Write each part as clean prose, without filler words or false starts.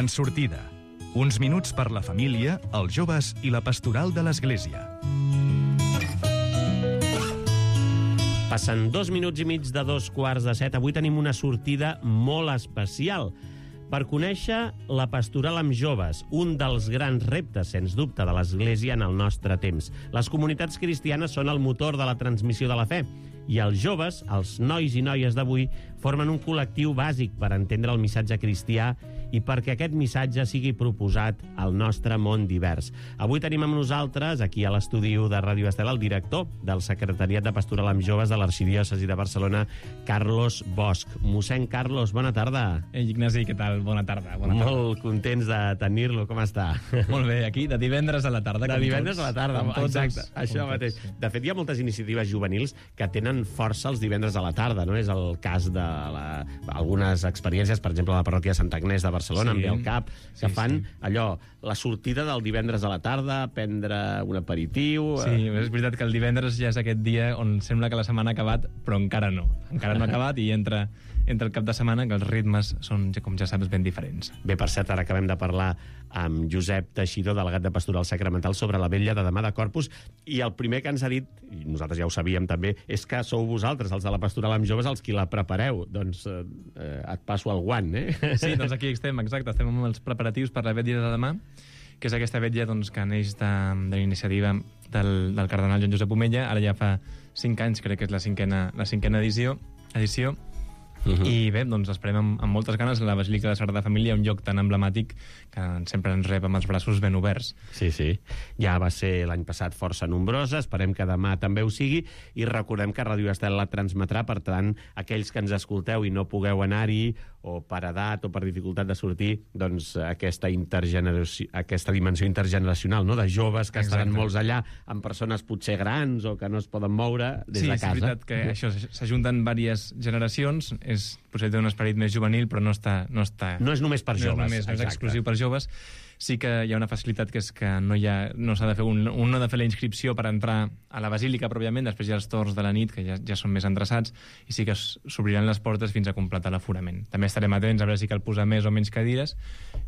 En sortida. Uns minuts per la família, els joves i la pastoral de l'Església. Passen 2 minuts i mig de 2:15. Avui tenim una sortida molt especial per conèixer la pastoral amb joves, un dels grans reptes, sens dubte, de l'Església en el nostre temps. Les comunitats cristianes són el motor de la transmissió de la fe, i els joves, els nois i noies d'avui, formen un col·lectiu bàsic per entendre el missatge cristià i perquè aquest missatge sigui proposat al nostre món divers. Avui tenim amb nosaltres, aquí a l'estudi de Ràdio Estel, el director del Secretariat de Pastoral amb Joves de l'Arxidiòcesi de Barcelona, Carlos Bosch. Mossèn Carlos, bona tarda. Ignasi, què tal? Bona tarda. Molt contents de tenir-lo. Com està? Molt bé, aquí, de divendres a la tarda. De divendres a la tarda, exacte. Això mateix. Sí. De fet, hi ha moltes iniciatives juvenils que tenen força els divendres a la tarda, no? És el cas de algunes experiències, per exemple, a la parròquia de Sant Agnès de Barcelona, amb el CAP, que fan allò, la sortida del divendres a la tarda, prendre un aperitiu... Sí, és veritat que el divendres ja és aquest dia on sembla que la setmana ha acabat, però encara no. Encara no ha acabat i entra el cap de setmana, que els ritmes són, com ja saps, ben diferents. Bé, per cert, ara acabem de parlar amb Josep Teixidor, delegat de Pastoral Sacramental, sobre la vetlla de demà de Corpus, i el primer que ens ha dit, i nosaltres ja ho sabíem també, és que sou vosaltres, els de la Pastoral amb Joves, els qui la prepareu. Doncs et passo el guant, eh? Sí, doncs aquí estem, exacte, estem amb els preparatius per la vetlla de demà, que és aquesta vetlla doncs, que neix de la iniciativa del cardenal Joan Josep Omella. Ara ja fa 5 anys, crec que és la cinquena edició. I bé, doncs esperem amb moltes ganes la Basílica de la Sagrada Família, un lloc tan emblemàtic que sempre ens rep amb els braços ben oberts. Sí, sí. Ja va ser l'any passat força nombrosa, esperem que demà també ho sigui, i recordem que Ràdio Estel la transmetrà, per tant, aquells que ens escolteu i no pugueu anar-hi, o per edat o per dificultat de sortir, doncs aquesta dimensió intergeneracional, no?, de joves que estaran molts allà, amb persones potser grans o que no es poden moure des de casa. Sí, és veritat que això s'ajunten diverses generacions, potser té un esperit més juvenil, però no és només per joves. No és exclusiu per joves. Sí que hi ha una facilitat, que és que no s'ha de fer un no ha de fer la inscripció per entrar a la basílica pròpiament, després hi ha els torns de la nit, que ja són més endreçats, i sí que s'obriran les portes fins a completar l'aforament. També estarem atents a veure si cal posar més o menys cadires,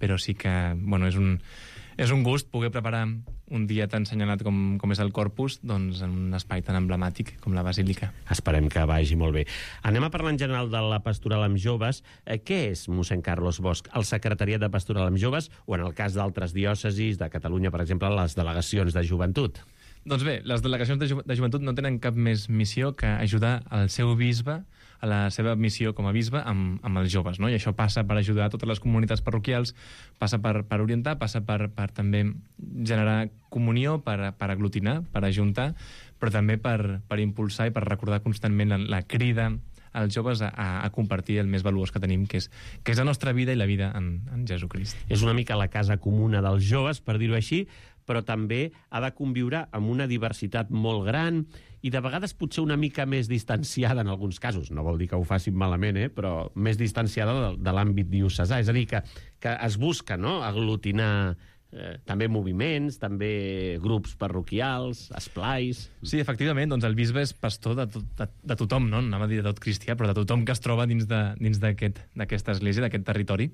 però sí que, bueno, és un gust poder preparar un dia tan assenyalat com és el Corpus, doncs en un espai tan emblemàtic com la Basílica. Esperem que vagi molt bé. Anem a parlar en general de la pastoral amb joves. Què és, mossèn Carlos Bosch, el Secretariat de Pastoral amb Joves, o en el cas d'altres diòcesis, de Catalunya, per exemple, les delegacions de joventut? Doncs bé, les delegacions de joventut no tenen cap més missió que ajudar el seu bisbe a la seva missió com a bisbe amb els joves, no? I això passa per ajudar a totes les comunitats parroquials, passa per orientar, passa per també generar comunió, per aglutinar, per ajuntar, però també per impulsar i per recordar constantment la crida als joves a compartir el més valuós que tenim, que és la nostra vida i la vida en Jesucrist. És una mica la casa comuna dels joves, per dir-ho així, però també ha de conviure amb una diversitat molt gran i de vegades potser una mica més distanciada en alguns casos. No vol dir que ho facin malament, però més distanciada de l'àmbit diocesà. És a dir, que es busca, no?, aglutinar també moviments, també grups parroquials, esplais... Sí, efectivament, doncs el bisbe és pastor de tothom, no? Anava a dir de tot cristià, però de tothom que es troba dins d'aquesta església, d'aquest territori.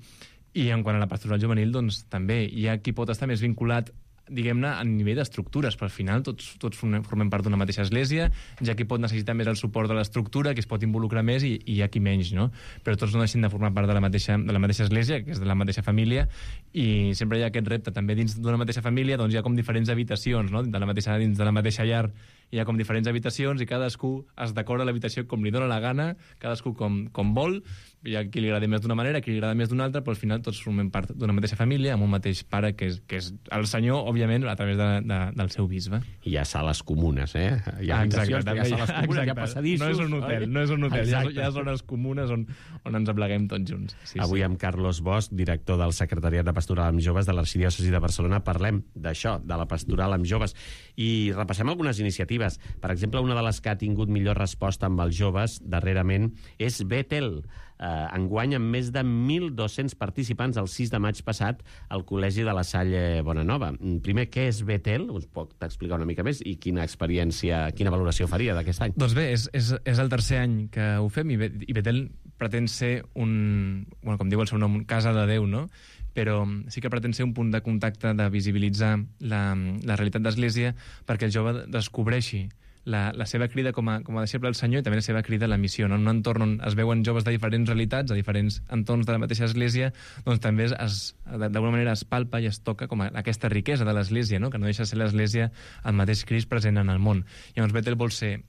I en quant a la pastoral juvenil, doncs també hi ha qui pot estar més vinculat, diguem-ne, a nivell d'estructures, però al final tots formem part d'una mateixa església, ja qui pot necessitar més el suport de l'estructura, qui es pot involucrar més, i hi ha qui menys, no? Però tots no deixen de formar part de la mateixa església, que és de la mateixa família, i sempre hi ha aquest repte. També dins d'una mateixa família doncs hi ha com diferents habitacions, no? Dins de la mateixa llar hi ha com diferents habitacions i cadascú es decora l'habitació com li dóna la gana, cadascú com vol. Hi ha qui li agrada més d'una manera, qui li agrada més d'una altra, però al final tots formem part d'una mateixa família, amb un mateix pare, que és el Senyor, òbviament, a través del seu bisbe. I hi ha sales comunes, Hi ha habitacions, hi ha sales comunes, hi ha passadissos... No és un hotel, hi ha zones comunes on ens apleguem tots junts. Sí, avui amb Carlos Bosch, director del Secretariat de Pastoral amb Joves de l'Arxidiòcesi de Barcelona, parlem d'això, de la pastoral amb joves, i repassem algunes iniciatives. Per exemple, una de les que ha tingut millor resposta amb els joves darrerament és Betel. Enguany, amb més de 1.200 participants el 6 de maig passat al Col·legi de la Salle Bonanova. Primer, què és Betel? Us pot explicar una mica més i quina experiència, quina valoració faria d'aquest any? Doncs bé, és el tercer any que ho fem, i Betel pretén ser bueno, com diu el seu nom, casa de Déu, no? Però sí que pretén ser un punt de contacte, de visibilitzar la realitat d'Església perquè el jove descobreixi la seva crida com a deixeble del Senyor i també la seva crida a la missió. No? En un entorn on es veuen joves de diferents realitats, de diferents entorns de la mateixa Església, doncs també d'alguna manera es palpa i es toca com aquesta riquesa de l'Església, no? Que no deixa de ser l'Església el mateix Crist present en el món. Llavors Betel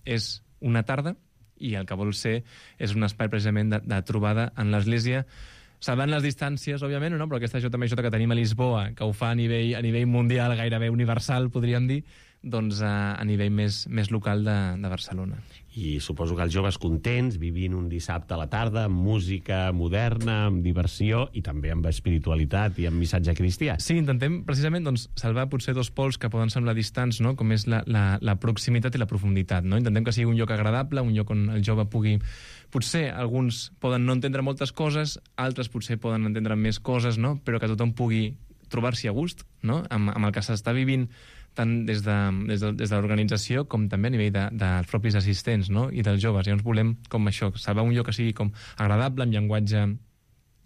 és una tarda i el que vol ser és un espai precisament de trobada en l'Església, salvant les distàncies, òbviament, no? Però aquesta JMJ que tenim a Lisboa, que ho fa a nivell mundial, gairebé universal, podríem dir, doncs a nivell més local de Barcelona. I suposo que els joves contents, vivint un dissabte a la tarda, amb música moderna, amb diversió i també amb espiritualitat i amb missatge cristià. Sí, intentem precisament doncs, salvar potser dos pols que poden semblar distants, no? Com és la proximitat i la profunditat. No? Intentem que sigui un lloc agradable, un lloc on el jove pugui... Potser alguns poden no entendre moltes coses, altres potser poden entendre més coses, no? Però que tothom pugui trobar-s'hi a gust, no? amb el que s'està vivint tant des de l'organització com també a nivell dels propis assistents, no? I dels joves. Llavors volem com això, salvar un lloc que sigui com agradable, amb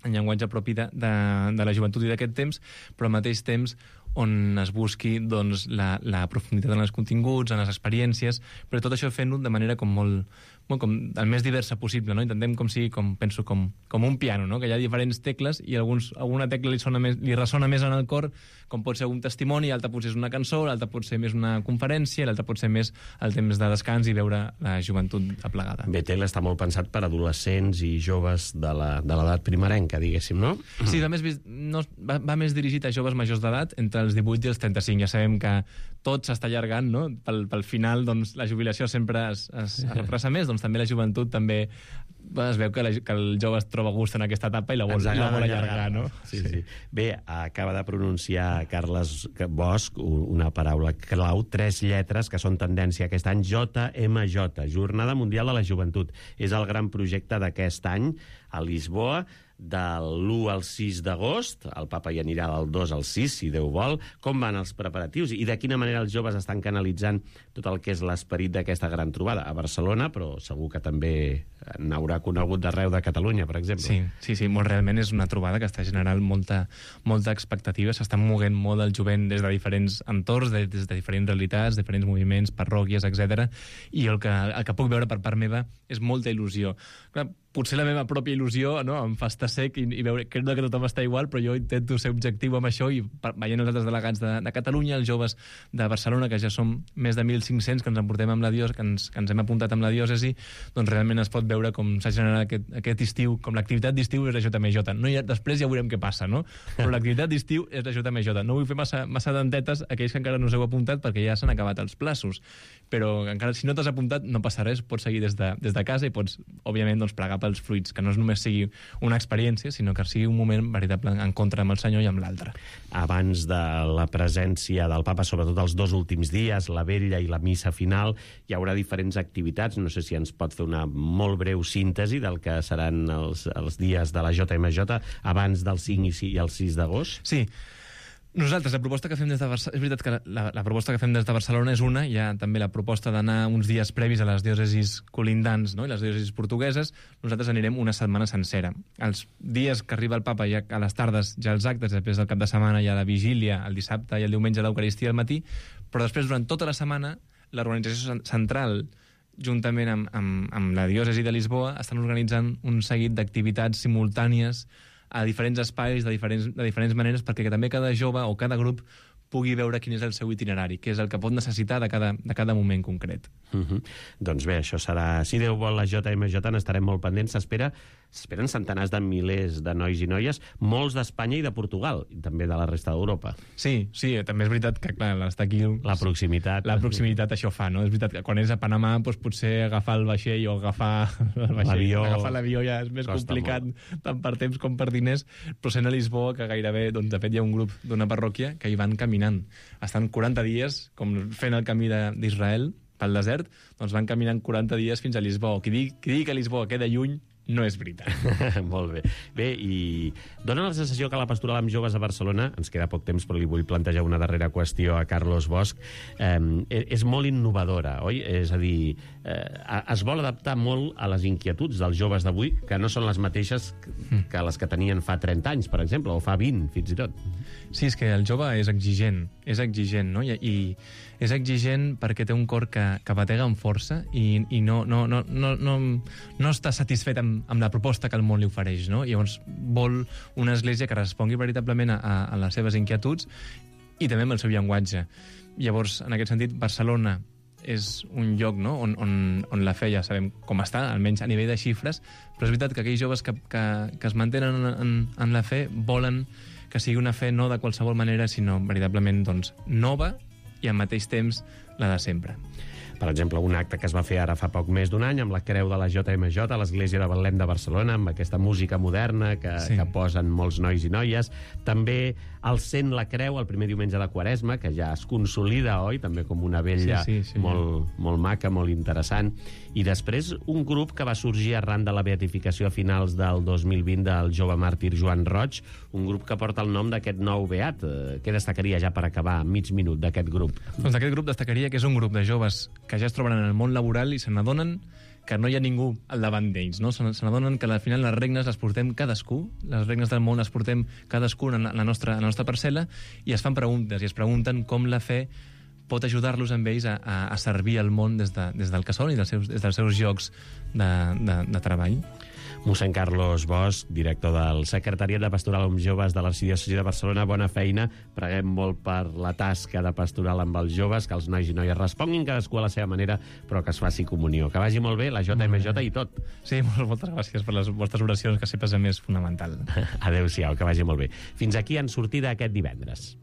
llenguatge propi de la joventut i d'aquest temps, però al mateix temps on es busqui doncs, la profunditat en els continguts, en les experiències, però tot això fent-ho de manera com molt com el més diversa possible, no? Intentem com sigui, penso, com un piano, no? Que hi ha diferents tecles i alguna tecla li ressona més en el cor, com pot ser un testimoni, l'altra potser és una cançó, l'altra pot ser més una conferència, l'altra pot ser més el temps de descans i veure la joventut aplegada. Betel està molt pensat per adolescents i joves de l'edat primerenca, diguéssim, no? Sí, va més dirigit a joves majors d'edat, entre els 18 i els 35. Ja sabem que tot s'està allargant, no? Pel final, doncs, la jubilació sempre es repressa més, doncs també la joventut també es veu que el jove es troba a gust en aquesta etapa i la vol allargar, no? Sí. Bé, acaba de pronunciar Carles Bosch una paraula clau, 3 lletres que són tendència aquest any, JMJ, Jornada Mundial de la Joventut. És el gran projecte d'aquest any a Lisboa, de l'1 al 6 d'agost. El papa hi anirà del 2 al 6, si Déu vol. Com van els preparatius i de quina manera els joves estan canalitzant tot el que és l'esperit d'aquesta gran trobada? A Barcelona, però segur que també n'haurà conegut d'arreu de Catalunya, per exemple. Sí, molt realment és una trobada que està generant molta expectativa. S'està moguent molt el jovent des de diferents entorns, des de diferents realitats, diferents moviments, parròquies, etc. I el que puc veure per part meva és molta il·lusió. Clar, potser la meva pròpia il·lusió, no? Em fa estar sec i veure crec que tothom està igual, però jo intento ser objectiu amb això i veient els altres delegats de Catalunya, els joves de Barcelona, que ja som més de 1.500 que ens emportem amb la diòcesi, que ens hem apuntat amb la diòcesi, doncs realment es pot veure com s'ha generat aquest estiu, com l'activitat d'estiu és la JMJ. Després ja veurem què passa, no? Però l'activitat d'estiu és la JMJ. No vull fer massa dentetes a aquells que encara no us heu apuntat perquè ja s'han acabat els plaços. Però encara si no t'has apuntat no passa res, pots seguir des de casa i pots, òbviament, doncs, plegar pels fruits, que no només sigui una experiència, sinó que sigui un moment veritable en contra amb el Senyor i amb l'altre. Abans de la presència del papa, sobretot els 2 últims dies, la vetlla i la missa final, hi haurà diferents activitats. No sé si ens pot fer una molt breu síntesi del que seran els dies de la JMJ abans del 5 i el 6 d'agost. Sí. Nosaltres, la proposta que fem des de Barcelona... És veritat que la proposta que fem des de Barcelona és una, hi ha també la proposta d'anar uns dies previs a les diòcesis colindants, no? I les diòcesis portugueses. Nosaltres anirem una setmana sencera. Els dies que arriba el papa, ja a les tardes, ja els actes, després del cap de setmana hi ha la vigília, el dissabte i el diumenge l'Eucaristia al matí, però després, durant tota la setmana, l'organització central, juntament amb la diòcesi de Lisboa, estan organitzant un seguit d'activitats simultànies a diferents espais, de diferents maneres, perquè també cada jove o cada grup pugui veure quin és el seu itinerari, què és el que pot necessitar de cada moment concret. Doncs bé, això serà... Si Déu vol, la JMJ n'estarem molt pendents. S'esperen centenars de milers de nois i noies, molts d'Espanya i de Portugal, i també de la resta d'Europa. Sí, també és veritat que, clar, estar aquí... La proximitat això fa, no? És veritat que quan és a Panamà, doncs potser agafar el vaixell o agafar l'avió ja és més complicat, tant per temps com per diners, però sent a Lisboa, que gairebé, doncs, de fet, hi ha un grup d'una parròquia que hi van caminant. Estan 40 dies, com fent el camí d'Israel pel desert, doncs van caminant 40 dies fins a Lisboa. Qui digui que Lisboa queda lluny no és veritat. Molt bé. Bé, i dona la sensació que la pastoral amb joves a Barcelona, ens queda poc temps, però li vull plantejar una darrera qüestió a Carlos Bosch, és molt innovadora, oi? És a dir, es vol adaptar molt a les inquietuds dels joves d'avui, que no són les mateixes que les que tenien fa 30 anys, per exemple, o fa 20, fins i tot. Sí, és que el jove és exigent, no? I és exigent perquè té un cor que batega amb força i no està satisfet amb la proposta que el món li ofereix, no? Llavors vol una església que respongui veritablement a les seves inquietuds i també amb el seu llenguatge. Llavors, en aquest sentit, Barcelona és un lloc, no?, on la fe ja sabem com està, almenys a nivell de xifres, però és veritat que aquells joves que es mantenen en la fe volen que sigui una fe no de qualsevol manera, sinó veritablement doncs, nova i al mateix temps la de sempre. Per exemple, un acte que es va fer ara fa poc més d'un any amb la creu de la JMJ a l'Església de Betlem de Barcelona, amb aquesta música moderna que posen molts nois i noies. També el Sent la Creu, el primer diumenge de Quaresma, que ja es consolida, oi? També com una vella molt maca, molt interessant. I després un grup que va sorgir arran de la beatificació a finals del 2020 del jove màrtir Joan Roig, un grup que porta el nom d'aquest nou beat. Què destacaria ja per acabar, mig minut, d'aquest grup? Doncs d'aquest grup destacaria que és un grup de joves que ja es troben en el món laboral i se n'adonen que no hi ha ningú al davant d'ells, no? Se n'adonen que al final les regnes les portem cadascú, les regnes del món les portem cadascú en la nostra parcel·la, i es fan preguntes, i es pregunten com la fe pot ajudar-los amb ells a servir el món des del que són i des dels seus llocs de treball. Mossèn Carlos Bosch, director del Secretariat de Pastoral amb Joves de l'Arxidiòcesi de Barcelona, bona feina. Preguem molt per la tasca de pastoral amb els joves, que els nois i noies responguin cadascú a la seva manera, però que es faci comunió. Que vagi molt bé la JMJ i tot. Sí, moltes gràcies per les vostres oracions, que sempre és més fonamental. Adéu-siau, que vagi molt bé. Fins aquí En Sortida aquest divendres.